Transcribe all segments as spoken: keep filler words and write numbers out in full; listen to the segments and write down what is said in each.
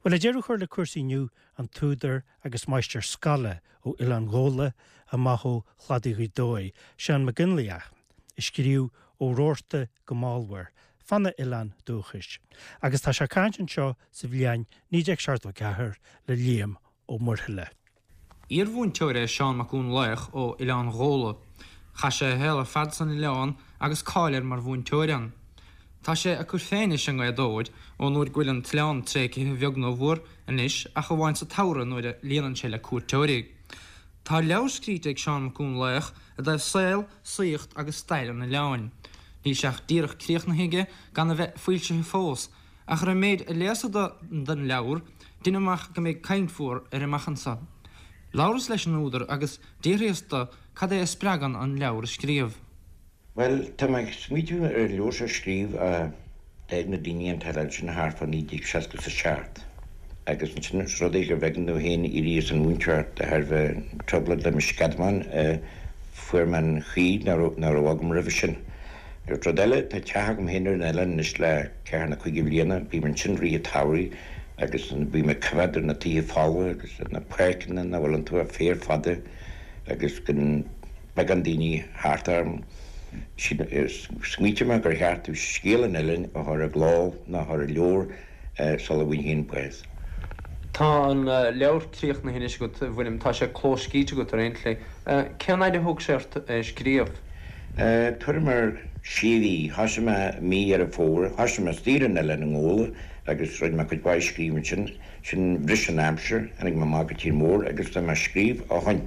Well le deireadh a chur le cúrsaí inniu an t-údar agus máistir scoile ó Oileán Ghabhla amach ó chladaí Ghaoth Dobhair, Seán Mac Fhionnlaoich, a scríobh Ó Rabharta go Málmhair, fána oileán dúchais, agus tá sé ag caint anseo sa bhliain naoi déag seachtó ceathair le Liam Ó Muirthile. Iarmhúinteoir é Seán Mac Fhionnlaoich ó Oileán Ghabhla. Chaith sé a shaol ar fad san oileán agus cáil air mar mhúinteoir ann. Tá sé ag cur fé anois i nGaoth Dobhair ón uair go bhfuil an t-oileán tréigthe a bheag nó a mhór anois ach amháin sa tsamhradh nuair a líonann sé le cuairteoirí. Tá leabhar scríte ag Seán Mac Fhionnlaoich i dtaobh saol, saíocht agus stair an oileáin. Níl sé ach díreach críochnaithe aige gan a bheith foilsithe fós, ach ar an méid a léas den leabhar, deinim amach go mbeidh caint mhór air amach anseo. Labhras leis an údar agus d'fhiafraíos de cad é a spreagann an leabhar a scríobh. Bhuel, tá mé ag smaoitiú ar an leabhar seo a scríobh ó d'fhág na daoine an t-oileán sin thart fá naoi déag seasca is a seacht agus ansin is rud é gur b'éigean domh féin éirí as an mhúinteoireacht de thairbhe trioblóid le mo sceadamán, fuair mé an chaoi nach raibh agam roimhe sin. Rud eile, tá teach agam féin ar an oileán anois le ceathair nó cúig bliana, bím ansin i rith an tsamhraidh agus bím ag coimhéad ar na tithe folmha agus ar na páirceanna nach bhfuil iontu ach féar fada agus gan beagán daoine thart orm. Smaoitigh mé gur cheart domh scéal an oileáin a chur i gcló nó a chur i leabhar sula bhfaighinn féin bás. Tá an leabhar críochnaithe anois agat, a William, tá sé clóscríte agat ar aon tslí. Cén fhaid a thóg sé ort é a scríobh? Tuairim ar sé mhí. Thosaigh mé mí Dheireadh Fómhair. Thosaigh mé istigh ar an oileán i nGabhla agus rinne mé cuid mhaith scríobh ansin. Sin bhris an aimsir, tháinig mé amach go tír mór agus tá mé ag scríobh ó shoin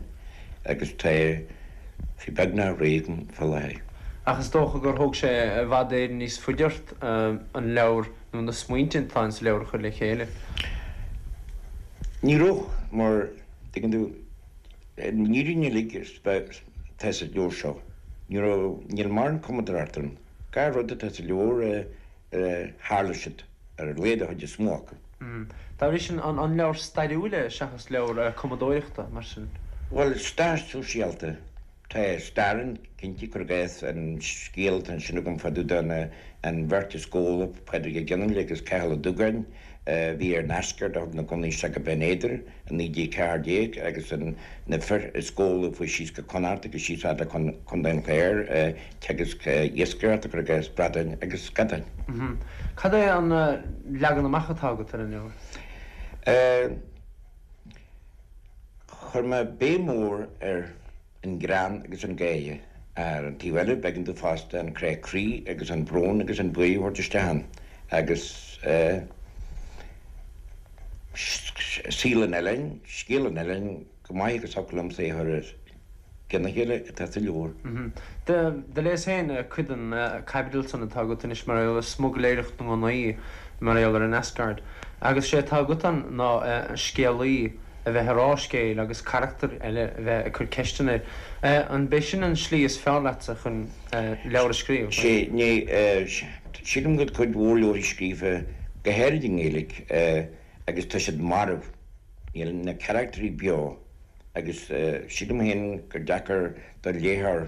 agus tá sé beagnach réidh agam fá láthair. Ach is dócha gur thóg sé i bhfad Éireann níos faide ort an leabhar nó na smaointe atá ins an leabhar a chur le chéile. Ní raibh, mar, tuigeann tú, an fhírinne uilig atá sa leabhar seo. Ní raibh, níl mórán cumadóireachta ann. Gach rud atá sa leabhar, tharla siad, ar a laghad an chuid is mó acu. Dá bhrí sin, an leabhar stairiúil é seachas leabhar cumadóireachta, mar sin? Bhuel, stair sóisialta. Tá stair ann, cinnte, cuir i gcás an scéal atá ansin agam fá dtaobh de an bheirt as Gabhla, Pádraig Ó Gionnfhaile agus Cathal Ó Dúgáin, a bhí ar an Asgard a thug na gunnaí isteach go Binn Éadair i naoi déag ceathair déag agus na fir as Gabhla a fuaigh síos go Connacht agus síos fhad le Contae an Chláir ag teagasc iascaireachta, cuir i gcás, bradáin agus scadáin. Cad é an leagan amach atá agat ar an leabhar? Chuir mé béim mhór ar an greann agus an gáire. Ar an taobh eile, b'éigean domh fosta an crá croí agus an brón agus an buaidh a thabhairt isteach ann agus saol an oileáin, scéal an oileáin, chomh maith agus a thiocfadh liomsa é a chur ar gcionn a chéile atá sa leabhar. Do léas féin cuid den chaibidil san atá agat anois mar gheall ar smugairléireacht na ngunnaí mar gheall ar an Asgard agus sé atá agat ann ná scéalaí a bheith ag rá scéil agus carachtar eile a bheith ag cur ceisteanna air. An b'é sin an slí is fearr leatsa chun leabhar a scríobh? Sé, ní, sílim go bhfuil cuid mhór leabharthaí scríofa, go háirid i nGaeilge, agus tá siad marbh, níl na carachtarí beo agus sílim féin gur deacair do léitheoir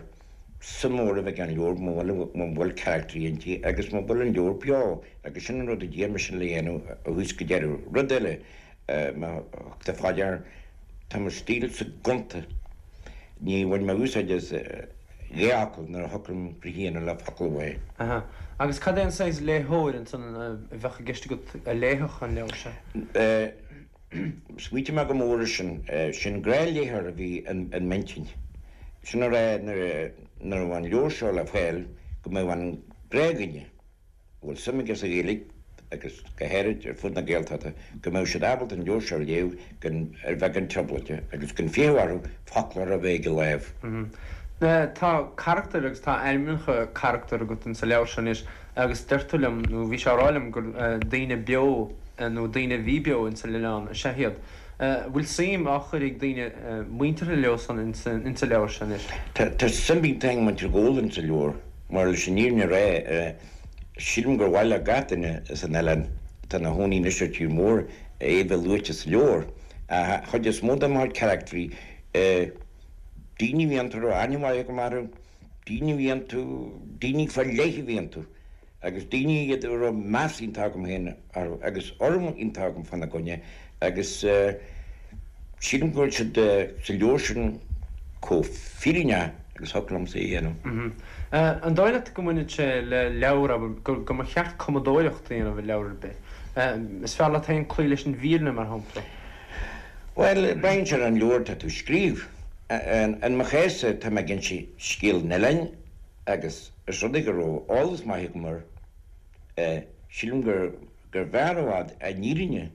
suim mhór a bheith ag an leabhar muna bhfuil carachtarí inti agus muna bhfuil an leabhar beo agus sin an rud a d'iarr mise le dhéanamh ó thús go deireadh. Rud eile, má thug tú fá dear, tá mo stílsa gonta, ní bhain mé úsáid as dhá fhocal nuair a thiocfadh liom rith a dhéanamh le focal amháin. Aha. Agus cad é an saghas léitheoir ansan a bheadh i gceist agat a léifeadh an leabhar seo? Smaoitigh mé go mór air sin. Sin gnáthléitheoir a bhí in m'intinn. Sin a rá nuair a bheadh an leabhar seo le fáil go mbeadh an gnáthdhuine, a bhfuil suim aige sa Ghaeilge agus go háirid ar fud na Gaeltachta, go mbeadh siad ábalta an leabhar seo a léamh gan ar bheagán trioblóide agus gan fiachadh orthu foclóir a bheith ag a láimh. Tá carachtair agus tá ainmneacha carachtar agat insa leabhar seo anois agus deir tú liom, nó bhí sé á rá liom, gur daoine beo nó daoine a bhí beo insa oileán is ea iad. Bhfuil suim á chur ag daoine muinteartha leo san insa leabhar seo anois? Tá suim iontach ag muintir Ghabhla insa leabhar mar leis an fhírinne a rá, sílim gur mhaith le gach duine as an oileán atá ina chónaí anois ar tír mór é bheith luaite sa leabhar. Ach an chuid is mó de mo chuid carachtraí, daoine a bhí iontu a raibh aithne mhaith agam orthu, daoine a bhí iontu, daoine faoi leith a bhí iontu. Agus daoine iad a raibh meas iontach agam féin orthu agus urraim iontach agam fána gcoinne agus sílim go bhfuil siad sa leabhar sin chomh fírinneach agus thiocfadh liomsa é a dhéanamh. An dóigh leat go mbaineann sé le leabhar, abair, go mba cheart cumadóireacht a dhéanamh ar leabhar ar bith? Is fearr leat féin cloí leis an bhfírinne, mar shampla? Bhuel, braitheann sé ar an leabhar atá tú a scríobh. In mo chás-sa, tá mé ag inse scéal an oileáin agus is rud é go raibh eolas maith agam air, sílim gurbh fhearr i bhfad an fhírinne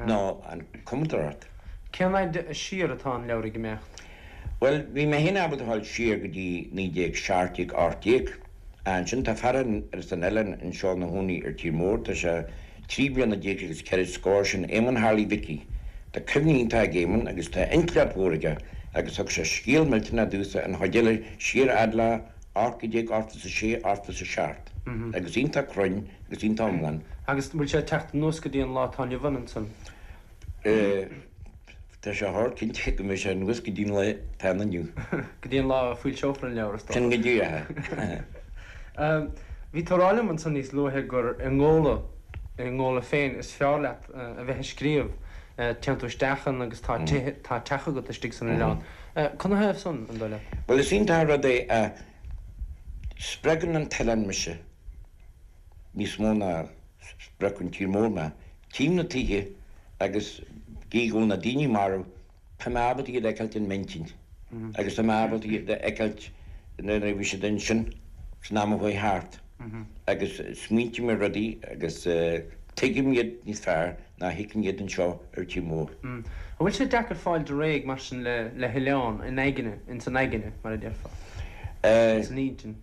ná an chumadóireacht. Cén fhad siar atá an leabhar ag imeacht? Bhuel, bhí mé féin ábalta a dhul siar go dtí naoi déag seacht déag, ocht déag. Ansin tá fear as an oileán anseo ina chónaí ar tír mór, tá sé trí bliana déag agus ceithre scór, sin Éamonn Harley Mhicí. Tá cuimhne iontach ag Éamonn agus tá intleacht mhór aige agus thug sé scéal millteanach domhsa, an chuid eile siar fhad le ocht déag ochtó is a sé, ochtó is a seacht agus iontach cruinn agus iontach iomlán. Agus bhfuil sé ag teacht anuas go dtí an lá atá inniu ann ansan? Tá sé thar cinnte go mbeidh sé anuas go dtí an lá atá ann inniu. Go dtí an lá a foilseofar an leabhar, is dócha. Sin go díreach é. Bhí tú ag rá liom ansan níos luaithe gur i nGabhla, i nGabhla féin is fearr leat a bheith ag scríobh. Téann tú isteach ann agus tá tithe, tá teach agat istigh san oileán. Canathaobh san, an dóigh leat? Bhuel, is iontach an rud é a spreagann an t-oileán mise níos mó ná spreag an tír mór mé. Tchím na tithe agus gí go bhfuil na daoine marbh, tá mé ábalta iad a fheiceáilt in m'intinn agus tá mé ábalta iad a fheiceáilt nuair a bhí siad ansin san am a chuaigh thart agus smaointím ar rudaí agus tuigim iad níos fearr ná thuigfinn iad anseo ar tír mór. An bhfuil sé deacair fáil réidh mar sin le hoileán in aigne, ins an aigne, mar a déarfá? San intinn?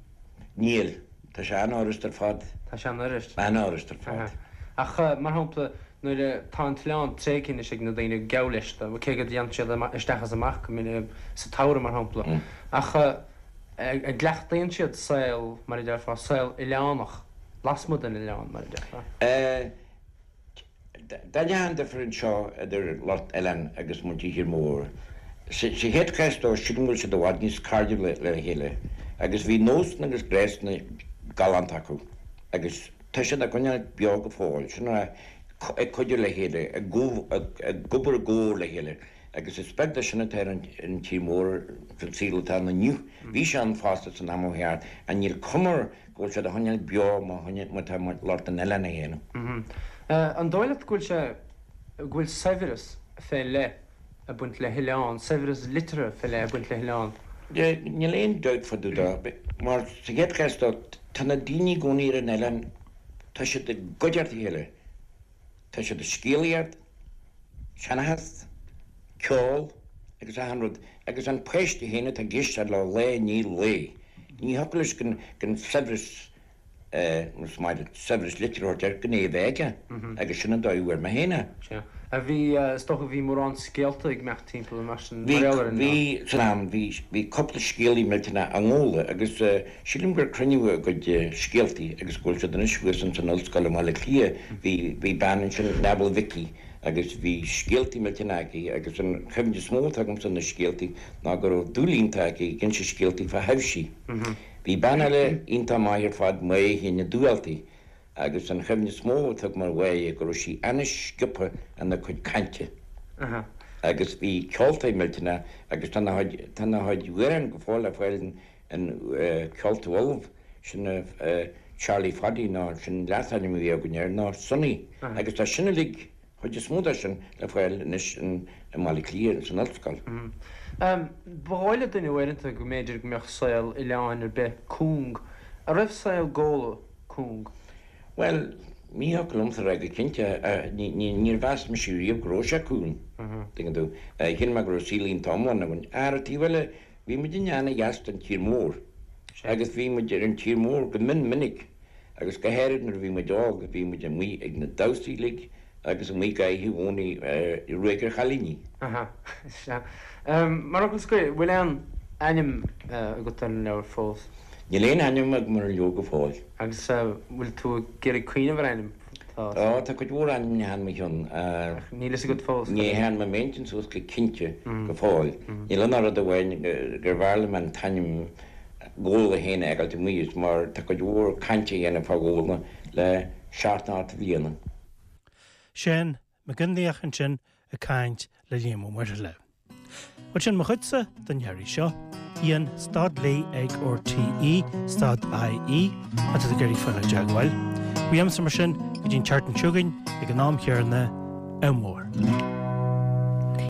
Níl. Tá sé an-fhurast ar fad. Tá sé an-fhurast. An-fhurast ar fad. Ach, mar shampla, nuair a tá an t-oileán tréigthe anois ag na daoine, geall leis, cé go dtéann siad isteach is amach go minic sa tsamhradh, mar shampla, ach an gcleachtaíonn siad saol, mar a déarfá, saol oileánach, lasmuigh den oileán, mar a déarfá? Dá ndéanfá an difear anseo idir lucht oileáin agus muintir thír mór, sa chéad chás dó, sílim go bhfuil siad i bhfad níos cairdiúla le chéile agus bhí nósanna agus gnásanna galánta acu agus tá siad á gcoinneáil beo go fóill, sin a ag cuidiú le chéile, ag obair i gcomhar le chéile agus is beag de sin atá ar an tír mór san saol atá ann inniu. Bhí sé ann fosta san am ó cheart ach níl cuma air go bhfuil siad á choinneáil beo mar atá lucht an oileáin a dhéanamh. An dóigh leat go bhfuil sé, go bhfuil saibhreas fé leith ag baint le hoileán, saibhreas liteartha fé leith ag baint le hoileán? Níl aon dabht fá dtaobh de, mar sa chéad chás dó, tá na daoine i gcónaí ar an oileán, tá siad i gcuideachta a chéile, tá siad ag scéalaíocht, seanchas, ceol agus achan rud, agus an páiste féin atá ag éisteacht leo lá i ndiaidh lae, ní thiocfadh leis gan saibhreas, más maith leat saibhreas liteartha a thabhairt air, gan é a bheith aige, agus sin an dóigh a bhfuair mé féin é. Sea. A bhí, is dócha, bhí mórán scéalta ag imeacht timpeall mar sin, mar gheall ar an Bhí, bhí, san am, bhí, bhí cúpla scéalaí millteanach i nGabhla agus sílim gur cruinníodh a gcuid scéaltaí agus go bhfuil siad anois thuas ins an ollscoil i mBaile Átha Cliath. Bhí, bhí bean ansin, Nebel Mhicí, agus bhí scéaltaí millteanach aici agus an chuimhne is mó atá agamsa na scéaltaí ná go raibh dúil iontach aici ag inse scéaltaí fá thaibhsí. Bhí bean eile iontach maith ar fad, Máire Shéaghdha Dubhaltaigh, agus an chuimhne is mó atá agam ar Mháire go raibh sí an-sciobtha ina cuid cainte agus bhí ceoltóir millteanach agus tá a chuid tá a chuid amhrán go fóill le fáil in Ceolta Uladh, sin Charlie Phaddy nó sin leasainm a bhí againn air nó Sonny agus tá sin uilig chuid is mó de sin le fáil anois i mBaile Átha Cliath san ollscoil. Ba dhóigh le duine uaireanta go mb'fhéidir go mbeadh saol oileáin ar bith cúng. An raibh saol Ghabhla cúng? Bhuel, ní thiocfadh liomsa a rá go cinnte. Níor mheas mise riamh go raibh sé cúng, tuigeann tú. Shíl mé go raibh saol iontach iomlán againn. Ar an taobh eile, bhí muidinne ana-dheas don tír mór agus bhí muid ar an tír mór go mion minic agus go háirid nuair a bhí muid óg, bhí muid amuigh ag na damhsaí uilig agus amuigh gach oíche Dhomhnaigh i ruaig ar chailíní. Aha, sea. Mar fhocal scoir, bhfuil aon ainm agat ar an leabhar fós? Níl aon ainm agam ar an leabhar go fóill. Agus bhfuil tú ag iarraidh cuimhneamh ar ainm? Tá, tá cuid mhór ainmneacha in mo chionn. Ach níl fhios agat fós. Ní thearn mé m'intinn suas go cinnte go fóill. Níl ann ach rud amháin, gurbh fhearr liom an t-ainm Gabhla féin a fheiceáilt amuigh mar tá cuid mhór cainte á dhéanamh fá Ghabhla le seacht nó ocht mbliana. Seán Mac Fhionnlaoich ansin ag caint le Liam Ó Muirthile. Bhuel sin mo chuidse don iarraidh seo, Ian stad léi ag RTE stad IE má tá tú ag iarraidh fáil i dteagmháil. Uaimse mar sin go dtí an tseachtain seo chugainn ag an am chéanna, ádh mór.